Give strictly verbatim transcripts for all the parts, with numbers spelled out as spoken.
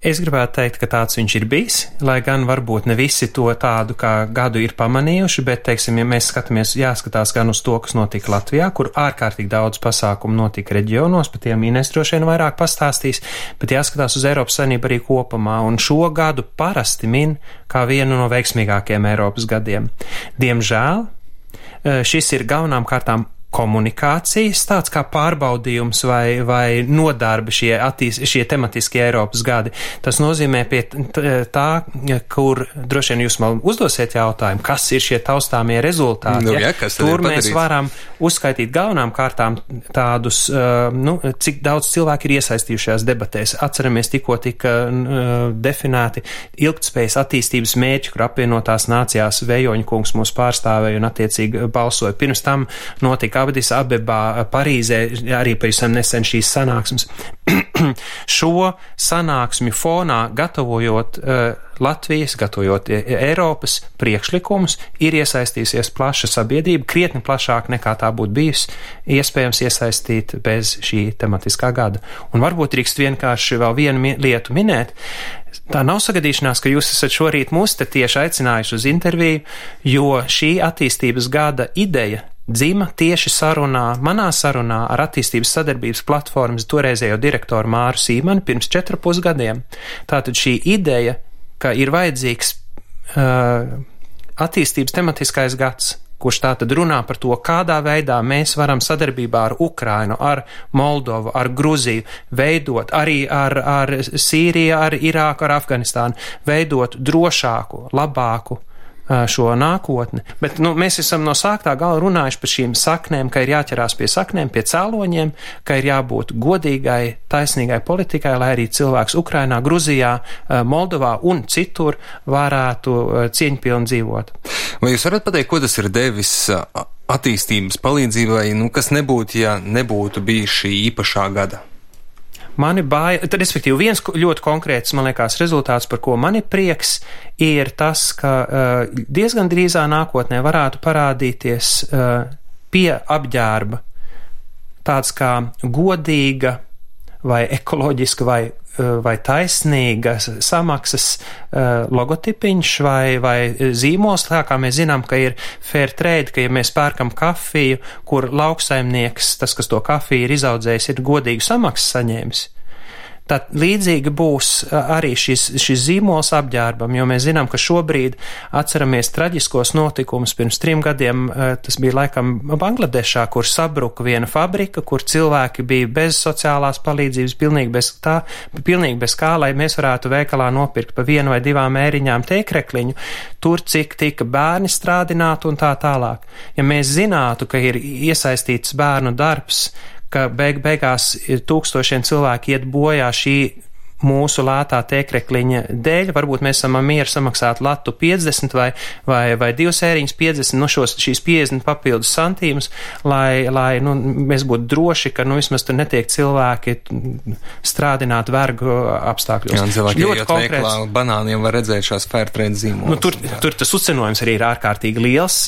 Es gribētu teikt, ka tāds viņš ir bijis, lai gan varbūt ne visi to tādu kā gadu ir pamanījuši, bet, teiksim, ja mēs skatāmies, jāskatās gan uz to, kas notika Latvijā, kur ārkārtīgi daudz pasākumu notika reģionos, par tiem Ines droši vien vairāk pastāstīs, bet jāskatās uz Eiropas Savienību arī kopumā, un šo gadu parasti min kā vienu no veiksmīgākiem Eiropas gadiem. Diemžēl šis ir galvenām kārtām komunikācijas, tāds kā pārbaudījums vai, vai nodarbi šie, attīs, šie tematiskie Eiropas gadi. Tas nozīmē pie tā, kur droši vien jūs man uzdosiet jautājumu, kas ir šie taustāmie rezultāti. Nu, jā, Tur mēs varam uzskaitīt galvenām kārtām tādus, nu, cik daudz cilvēki ir iesaistījušās debatēs. Atceramies, tikko tika uh, definēti ilgtspējas attīstības mērķi, kur apvienotās nācijās Vējoņa kungs mūs pārstāvēja un attiecīgi balsoja. Pirms tam notika Abadis Abebā, Parīzē, arī pavisam nesen šīs sanāksmes. Šo sanāksmi fonā, gatavojot uh, Latvijas, gatavojot Eiropas priekšlikumus, ir iesaistījusies plaša sabiedrība, krietni plašāk nekā tā būtu bijusi iespējams iesaistīt bez šī tematiskā gada. Un varbūt drīkst vienkārši vēl vienu mi- lietu minēt. Tā nav sagadīšanās, ka jūs esat šorīt mūs te tieši aicinājuši uz interviju, jo šī attīstības gada ideja dzima tieši sarunā, manā sarunā ar attīstības sadarbības platformas toreizējo direktoru Māru Sīmani pirms četru pusgadiem. Tātad šī ideja, ka ir vajadzīgs uh, attīstības tematiskais gads, kurš tātad runā par to, kādā veidā mēs varam sadarbībā ar Ukrainu, ar Moldovu, ar Gruziju, veidot arī ar, ar Sīriju, ar Irāku, ar Afganistānu, veidot drošāku, labāku šo nākotni. Bet nu, mēs esam no sāktā gala runājuši par šīm saknēm, ka ir jāķerās pie saknēm, pie cēloņiem, ka ir jābūt godīgai, taisnīgai politikai, lai arī cilvēks Ukrainā, Gruzijā, Moldovā un citur varētu cieņpilni dzīvot. Vai jūs varat pateikt, ko tas ir devis attīstības palīdzībai, nu, kas nebūtu, ja nebūtu bijis šī īpašā gada? Mani bāja, tad, respektīvi, viens ļoti konkrēts, man liekas, rezultāts, par ko man ir prieks, ir tas, ka uh, diezgan drīzā nākotnē varētu parādīties uh, pie apģērba tāds kā godīga vai ekoloģiska vai vai taisnīga samaksas uh, logotipiņš vai, vai zīmols, tā kā mēs zinām, ka ir fair trade, ka ja mēs pērkam kafiju, kur lauksaimnieks, tas, kas to kafiju ir izaudzējis, ir godīgu samaksu saņēmis. Tad līdzīgi būs arī šis, šis zīmols apģērbam, jo mēs zinām, ka šobrīd atceramies traģiskos notikumus. Pirms trim gadiem tas bija laikam Bangladešā, kur sabruka viena fabrika, kur cilvēki bija bez sociālās palīdzības, pilnīgi bez tā, pilnīgi bez kā, lai mēs varētu veikalā nopirkt pa vienu vai divām ēriņām tēkrekliņu, tur cik tika bērni strādināti un tā tālāk. Ja mēs zinātu, ka ir iesaistīts bērnu darbs, ka beig beigās tūkstošiem cilvēki iet bojā šī mūsu lētā tēkrekliņa dēļ, varbūt mēs esam mieru samaksāt latu piecdesmit vai, vai, vai divas ēriņas piecdesmit, no šos, šīs piecdesmit papildus santīmus, lai, lai nu, mēs būtu droši, ka nu, vismaz tur netiek cilvēki strādināt vergu apstākļos. Jā, un cilvēki ejot konkrēts... veiklā banāniem var redzēt šās fairtrade zīmolas. Nu, tur, tur tas uzcenojums arī ir ārkārtīgi liels.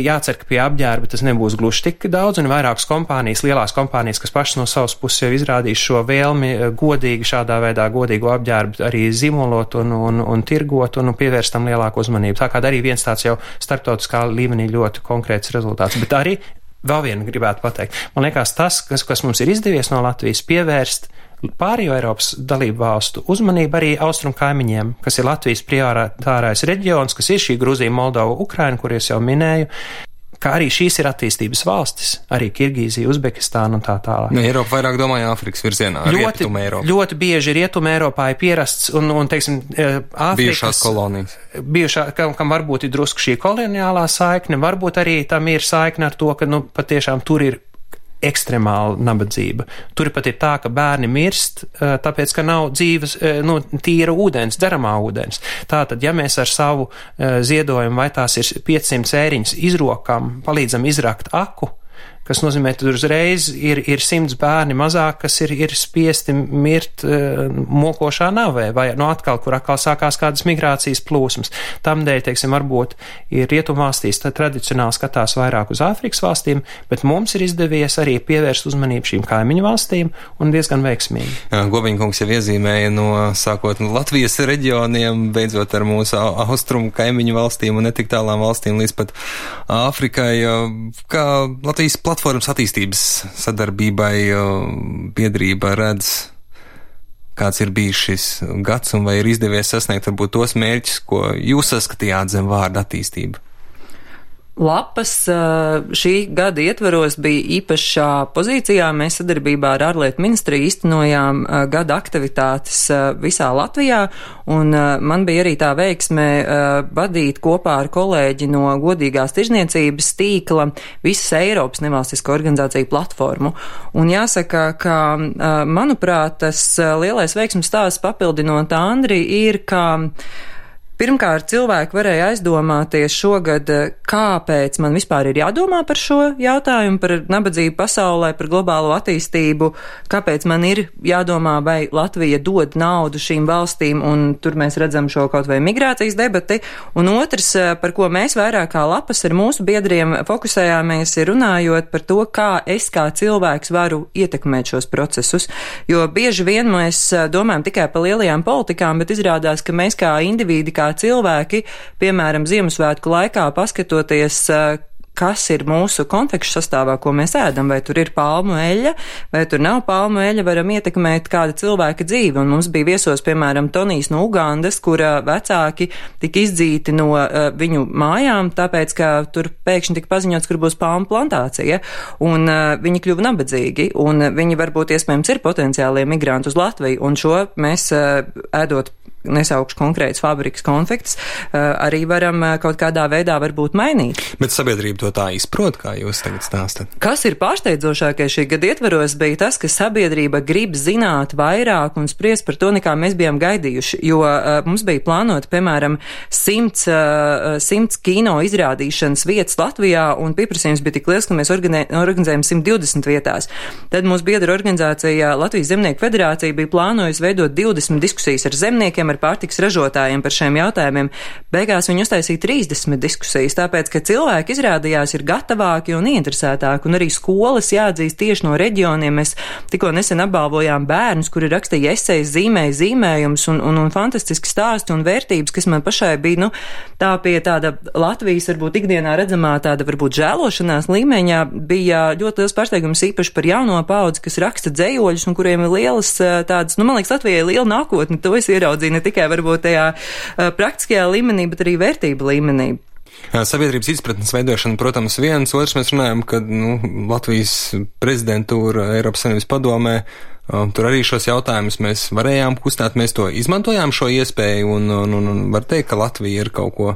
Jācer, ka pie apģērba tas nebūs gluži tik daudz, un vairākas kompānijas, lielās kompānijas, kas pašas no savas puses jau izrādīs šo vēlmi godīgi šādā veidā godīgu apģērbu arī zīmolot un, un, un tirgot un pievērst tam lielāku uzmanību. Tā kā arī viens tāds jau starptautiskā līmenī ļoti konkrēts rezultāts. Bet arī vēl vienu gribētu pateikt. Man liekas tas, kas, kas mums ir izdevies no Latvijas pievērst pārējo Eiropas dalību valstu uzmanību arī austrumu kaimiņiem, kas ir Latvijas prioritārais reģions, kas ir šī Gruzija, Moldova, Ukraina, kur es jau minēju, ka arī šīs ir attīstības valstis, arī Kirgīzija, Uzbekistāna un tā tālāk. Ne, Eiropa vairāk domāja Āfrikas virzienā, ļoti, Rietuma Eiropa. Ļoti bieži Rietuma Eiropā ir pierasts un, un teiksim, Āfrikas... Bijušās kolonijas. Bijušā, kam, kam varbūt ir drusku šī koloniālā saikne, varbūt arī tam ir saikne ar to, ka, nu, patiešām tur ir ekstremāla nabadzība. Tur pat ir tā, ka bērni mirst, tāpēc, ka nav dzīves, nu, tīra ūdens, dzeramā ūdens. Tātad, ja mēs ar savu ziedojumu, vai tās ir piecsimt ēriņas, izrokam, palīdzam izrakt aku, kas nozīmē, ka tur uzreiz ir, ir simts bērni mazāk, kas ir, ir spiesti mirt uh, mokošā navē, vai no atkal, kur atkal sākās kādas migrācijas plūsmas. Tamdēļ, teiksim, varbūt ir rietumvalstīs tradicionāli skatās vairāk uz Āfrikas valstīm, bet mums ir izdevies arī pievērst uzmanību šīm kaimiņu valstīm un diezgan veiksmīgi. Gobiņkungs jau iezīmēja no sākot no Latvijas reģioniem, beidzot ar mūsu austrumu kaimiņu valstīm un netik tālām valstīm līdz pat Āfrikai, kā Latvijas platformas attīstības sadarbībai biedrība redz, kāds ir bijis šis gads un vai ir izdevies sasniegt varbūt tos mērķus, ko jūs saskatījāt zem vārda attīstība? Lapas šī gada ietveros bija īpašā pozīcijā. Mēs sadarbībā ar ārlietu ministriju īstenojām gada aktivitātes visā Latvijā, un man bija arī tā veiksme vadīt kopā ar kolēģi no godīgās tirzniecības tīkla visas Eiropas nevalstisko organizāciju platformu. Un jāsaka, ka, manuprāt, tas lielais veiksmes stāsts papildinot Andri ir, ka pirmkārt, cilvēki varēja aizdomāties šogad, kāpēc man vispār ir jādomā par šo jautājumu, par nabadzību pasaulē, par globālo attīstību, kāpēc man ir jādomā, vai Latvija dod naudu šīm valstīm, un tur mēs redzam šo kaut vai migrācijas debati. Un otrs, par ko mēs vairāk kā Lapas ar mūsu biedriem fokusējāmies, ir runājot par to, kā es kā cilvēks varu ietekmēt šos procesus. Jo bieži vien mēs domājam tikai par lielajām politikām, bet izrādās, ka mēs kā individi, kā cilvēki, piemēram, Ziemassvētku laikā paskatoties, kas ir mūsu konfekšu sastāvā, ko mēs ēdam, vai tur ir palmu eļļa, vai tur nav palmu eļļa, varam ietekmēt kāda cilvēka dzīvi. Un mums bija viesos, piemēram, Tonijs no Ugandas, kura vecāki tika izdzīti no uh, viņu mājām, tāpēc, ka tur pēkšņi tika paziņots, kur būs palmu plantācija, un uh, viņi kļuva nabadzīgi, un viņi varbūt iespējams ir potenciālie migranti uz Latviju, un šo mēs uh, ēdot nesaukšu konkrētas fabrikas konfektes, arī varam kaut kādā veidā varbūt mainīt. Bet sabiedrība to tā izprot, kā jūs tagad stāstat? Kas ir pārsteidzošākais šī gada ietveros, bija tas, ka sabiedrība grib zināt vairāk un spriest par to, nekā mēs bijām gaidījuši, jo uh, mums bija plānota, piemēram, simts, uh, simts kino izrādīšanas vietas Latvijā, un pieprasījums bija tik liels, ka mēs organi- organizējam simt divdesmit vietās. Tad mūsu biedra organizācija Latvijas Zemnieku federācija bija plānojusi veidot divdesmit diskusijas ar zemniekiem, ar pārtikas ražotājiem par šiem jautājumiem. Beigās viņi uztaisīja trīsdesmit diskusijas, tāpēc, ka cilvēki izrādījās ir gatavāki un ieinteresētāki, un arī skolas jāatzīst tieši no reģioniem. Mēs tikko nesen apbalvojām bērnus, kuri rakstīja esejas, zīmēja zīmējumus un, un, un fantastiski stāsti un vērtības, kas man pašai bija, nu, tā pie tāda Latvijas, varbūt ikdienā redzamā tāda, varbūt žēlošanās līmeņā, bija ļoti liels pārsteigums īpaši par jauno paudzi, kas raksta dzejoļus un kuriem ir lielas tādas, nu, man liekas, Latvijai liela nākotne, to es ieraudzīju ne tikai varbūt tajā uh, praktiskajā līmenī, bet arī vērtību līmenī. Sabiedrības izpratnes veidošana, protams, viens, otrs mēs runājam, ka nu, Latvijas prezidentūra Eiropas Savienības padomē, um, tur arī šos jautājumus mēs varējām kustāt, mēs to izmantojām šo iespēju un, un, un, un var teikt, ka Latvija ir kaut ko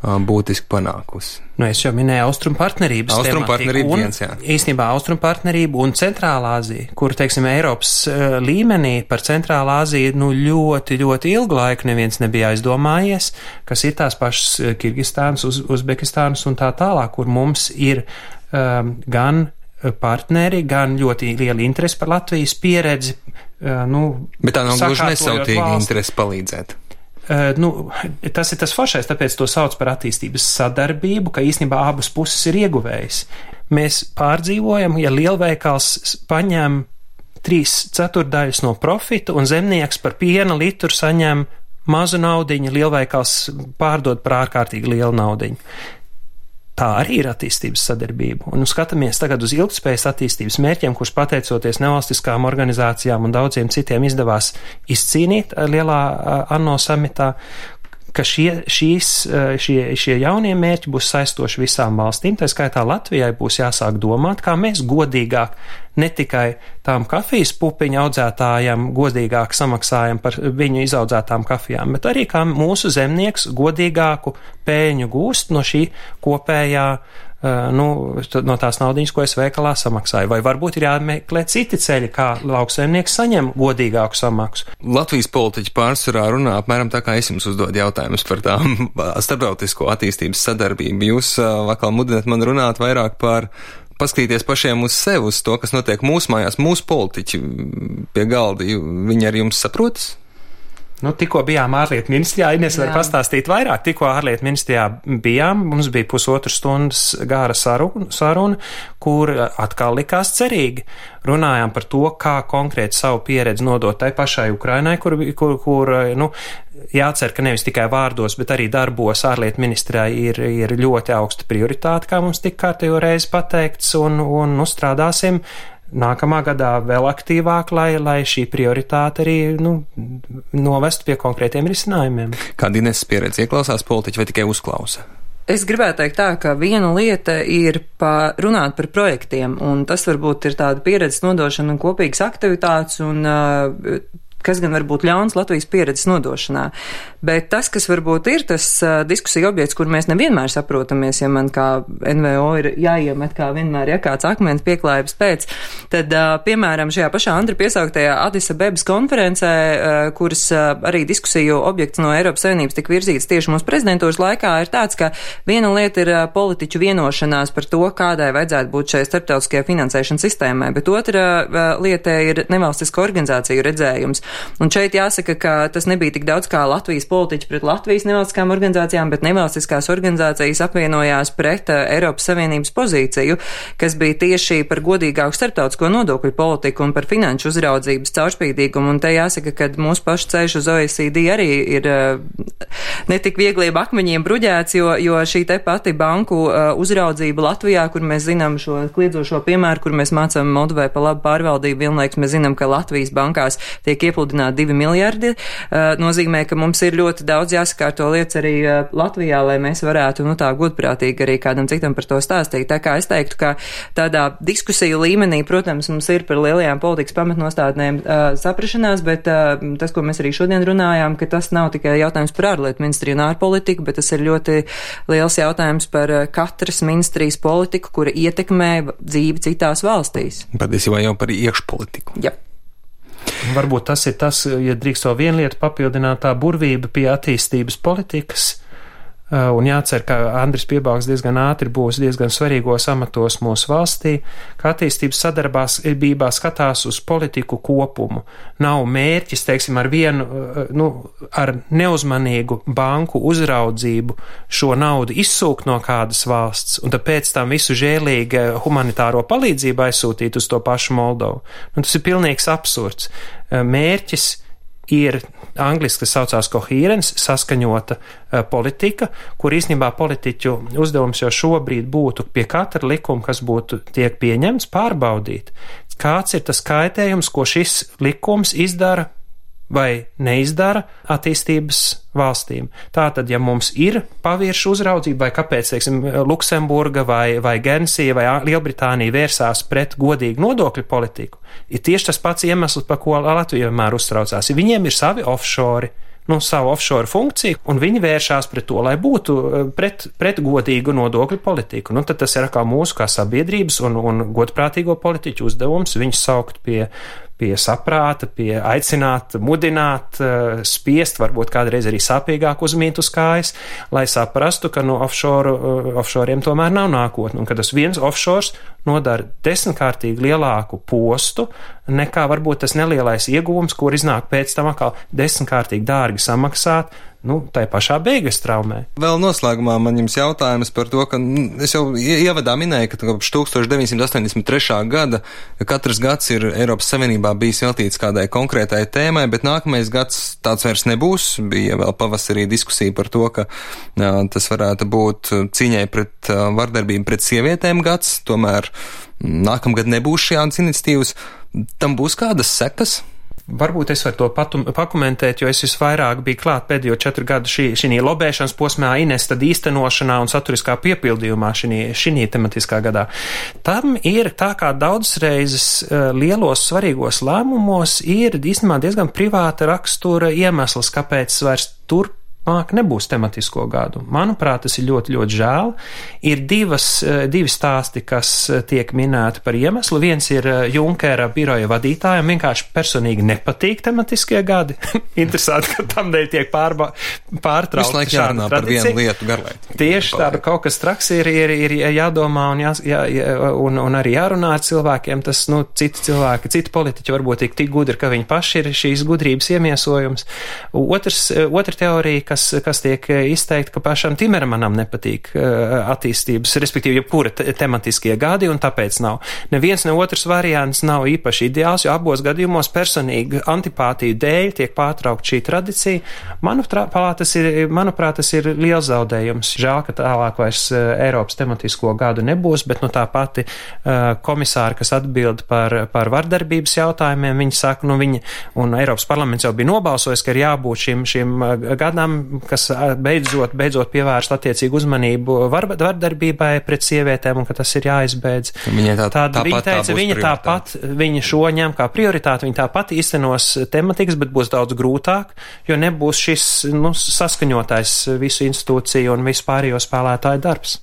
būtiski panākusi. Nu, es jau minēju Austrumu partnerības Austrumu tematiku, partnerību un viens, jā. īstenībā Austrumu partnerību un Centrālā Azija, kur, teiksim, Eiropas uh, līmenī par Centrālā Aziju, nu, ļoti, ļoti ilgu laiku neviens nebija aizdomājies, kas ir tās pašas Kirgistānas, Uz, Uzbekistānas un tā tālāk, kur mums ir um, gan partneri, gan ļoti liela interese par Latvijas pieredzi, uh, nu, bet tā nav gluži nesautīga valsts. interese palīdzēt. Uh, nu, tas ir tas foršais, tāpēc to sauc par attīstības sadarbību, ka īstenībā abas puses ir ieguvējis. Mēs pārdzīvojam, ja lielveikals paņem trīs ceturdaļas no profita un zemnieks par piena litru saņem mazu naudiņu, lielveikals pārdod par ārkārtīgi lielu naudiņu. Tā arī ir attīstības sadarbība. Un skatāmies tagad uz ilgtspējas attīstības mērķiem, kurus pateicoties nevalstiskām organizācijām un daudziem citiem izdevās izcīnīt lielā ANO samitā, ka šie, šīs, šie, šie jaunie mērķi būs saistoši visām valstīm, tā skaitā Latvijai būs jāsāk domāt, kā mēs godīgāk ne tikai tām kafijas pupiņu audzētājiem godīgāk samaksājam par viņu izaudzētām kafijām, bet arī kā mūsu zemnieks godīgāku pēļņu gūst no šī kopējā, nu, no tās naudiņas, ko es veikalā samaksāju. Vai varbūt ir jāmeklē citi ceļi, kā lauksaimnieks saņem godīgāku samaksu. Latvijas politiķi pārsvarā runā apmēram tā, kā es jums uzdodu jautājumus par tām starptautisko attīstības sadarbību. Jūs atkal mudināt man runāt vairāk par paskatīties pašiem uz sevi, uz to, kas notiek mūsu mājās, mūsu politiķi pie galda, viņi ar jums saprotas? Nu, tikko bijām ārlietu ministrijā, Ines var pastāstīt vairāk. Tikko ārlietu ministrijā bijām, mums bija pusotru stundas gāra saruna, saruna, kur atkal likās cerīgi. Runājām par to, kā konkrēti savu pieredzi nodot tai pašai Ukrainai, kur, kur, kur nu, jācer, ka nevis tikai vārdos, bet arī darbos ārlietu ministrijā ir, ir ļoti augsta prioritāte, kā mums tik kārtējo reizi pateikts, un, un uzstrādāsim nākamā gadā vēl aktīvāk, lai, lai šī prioritāte arī nu, novest pie konkrētiem risinājumiem. Kāda Ineses pieredze ieklausās politiķi vai tikai uzklausa? Es gribētu teikt tā, ka viena lieta ir pa, runāt par projektiem, un tas varbūt ir tāda pieredzes nodošana un kopīgas aktivitātes, un uh, kas gan var būt ļauns Latvijas pieredzes nodošanā. Bet tas, kas varbūt ir tas uh, diskusija objekts, kur mēs nevienmēr saprotamies, ja man kā N V O ir jāiemet kā vienmēr, ja kāds akmens pieklājības pēc, tad, uh, piemēram, šajā pašā Andra piesauktajā Adis Abebas konferencē, uh, kuras uh, arī diskusiju objekts no Eiropas Savienības tik virzīts tieši mūsu prezidentūras laikā, ir tāds, ka viena lieta ir uh, politiķu vienošanās par to, kādai vajadzētu būt šai starptautiskajai finansēšanas sistēmai, bet otra uh, lieta ir nevalstisko organizāciju redzējums. Un šeit jāsaka, ka tas nebija tik daudz kā Latvijas politiķi pret Latvijas nevalstiskām organizācijām, bet nevalstiskās organizācijas apvienojās pret uh, Eiropas Savienības pozīciju, kas bija tieši par godīgāku starptautisko nodokļu politiku un par finanšu uzraudzības caurspīdīgumu. Un te jāsaka, ka mūsu pašu ceļš uz O E C D arī ir uh, netik viegliem akmeņiem bruģēts, jo, jo šī te pati banku uh, uzraudzība Latvijā, kur mēs zinām šo kliedzošo piemēru, kur mēs mācām Moldovai pa labu pārvaldību, vienlaiks mēs zinām, ka Latvijas bankās tiek iepludināti divi miljardi, uh, nozīmē, ka mums ir ļoti daudz jāsakārto lietas arī uh, Latvijā, lai mēs varētu, nu tā, godprātīgi arī kādam citam par to stāstīt. Tā kā es teiktu, ka tādā diskusiju līmenī, protams, mums ir par lielajām politikas pamatnostādnēm uh, saprašanās, bet uh, tas, ko mēs arī šodien runājām, ka tas nav tikai jautājums par ārlietu ministriju un ārpolitiku, bet tas ir ļoti liels jautājums par uh, katras ministrijas politiku, kura ietekmē dzīvi citās valstīs. Patiesībā jau par iekšpolitiku. Jā. Varbūt tas ir tas, ja drīkst to vienu lietu papildināt, tā burvība pie attīstības politikas. Un jācer, ka Andris Piebalgs diezgan ātri būs diezgan svarīgos amatos mūsu valstī, ka attīstības sadarbībā skatās uz politiku kopumu. Nav mērķis, teiksim, ar vienu, nu, ar neuzmanīgu banku uzraudzību šo naudu izsūkt no kādas valsts, un tāpēc tam visu žēlīgi humanitāro palīdzību aizsūtīt uz to pašu Moldovu. Nu, tas ir pilnīgs absurds. Mērķis ir angliski, kas saucās coherence, saskaņota uh, politika, kur īstenībā politiķu uzdevums jau šobrīd būtu pie katra likuma, kas būtu tiek pieņemts, pārbaudīt, kāds ir tas kaitējums, ko šis likums izdara vai neizdara attīstības valstīm. Tātad, ja mums ir paviršu uzraudzība, vai kāpēc, teiksim, Luksemburga vai, vai Guernsey vai Lielbritānija vērsās pret godīgu nodokļu politiku, ir tieši tas pats iemesls, par ko Latvija vienmēr uztraucās. Viņiem ir savi offshore, nu, savu offshore funkciju, un viņi vēršās pret to, lai būtu pret, pret godīgu nodokļu politiku. Nu, tad tas ir kā mūsu kā sabiedrības un, un godprātīgo politiķu uzdevums viņus saukt pie pie saprāta, pie aicināt, mudināt, spiest, varbūt kādreiz arī sāpīgāk uzmīt uz kājas, lai saprastu, ka no offshore, offshoriem tomēr nav nākotne, un ka tas viens offshores nodara desmitkārtīgi lielāku postu, nekā varbūt tas nelielais ieguvums, kur iznāk pēc tam atkal desmitkārtīgi dārgi samaksāt, nu, tai pašā beigas traumē. Vēl noslēgumā man jums jautājums par to, ka es jau ievadā minēju, ka kopš tusenstoš deviņsimt astoņdesmit trešā gada katrs gads ir Eiropas Savienībā bijis veltīts kādai konkrētai tēmai, bet nākamais gads tāds vairs nebūs. Bija vēl pavasarī diskusija par to, ka jā, tas varētu būt cīņai pret vardarbību pret sievietēm gads, tomēr nākamgad nebūs šādas iniciatīvas. Tam būs kādas sekas? Varbūt es varu to patum, pakomentēt, jo es visvairāk biju klāt pēdējo četru gadu šī, šī lobēšanas posmā, Ines tad īstenošanā un saturiskā piepildījumā šī, šī tematiskā gadā. Tam ir tā kā daudzas reizes uh, lielos svarīgos lēmumos ir īstenībā diezgan privāta rakstura iemesls, kāpēc vairs tur turpmāk nebūs tematisko gadu. Manuprāt, tas ir ļoti, ļoti žēl. Ir divas, divi stāsti, kas tiek minēti par iemeslu. Viens ir Junkera biroja vadītājiem vienkārši personīgi nepatīk tematiskie gadi. Interesanti, ka tam dēļ tiek pārba, pārtraukta šāda tradīcija. Visu laiku jārunā par vienu lietu garlaiti. Tieši tāda kaut kas traks ir, ir, ir jādomā un, jā, jā, un, un arī jārunā ar cilvēkiem. Tas, nu, citi cilvēki, citi politiķi varbūt tik, tik gudri, ka viņi paši ir šīs gudrības iemiesojums. Otrs, otra teorija, kas, kas tiek izteikta, ka pašam Timermanam nepatīk attīstības, respektīvi, jebkura tematiskie gadi, un tāpēc nav. Neviens, ne otrs variants nav īpaši ideāls, jo abos gadījumos personīgi antipātiju dēļ tiek pārtraukt šī tradicija. Manuprāt, tas ir, manuprāt, tas ir liels zaudējums. Žēl, ka tālāk vairs Eiropas tematisko gadu nebūs, bet nu tā pati uh, komisāra, kas atbild par, par vardarbības jautājumiem, viņi saka, nu viņi, un Eiropas parlaments jau bija nobalsojis, ka ir jābūt šim, šim gadam, kas beidzot, beidzot pievērst attiecīgu uzmanību var, vardarbībai pret sievietēm, un ka tas ir jāizbeidz. Viņa tā, Tād, tāpat viņa teica, tā viņa tāpat, viņa šo ņem kā prioritāti, viņa tāpat īstenos tematikas, bet būs daudz grūtāk, jo nebūs šis, nu, saskaņotais visu institūciju un visu pārējo spēlētāju darbs.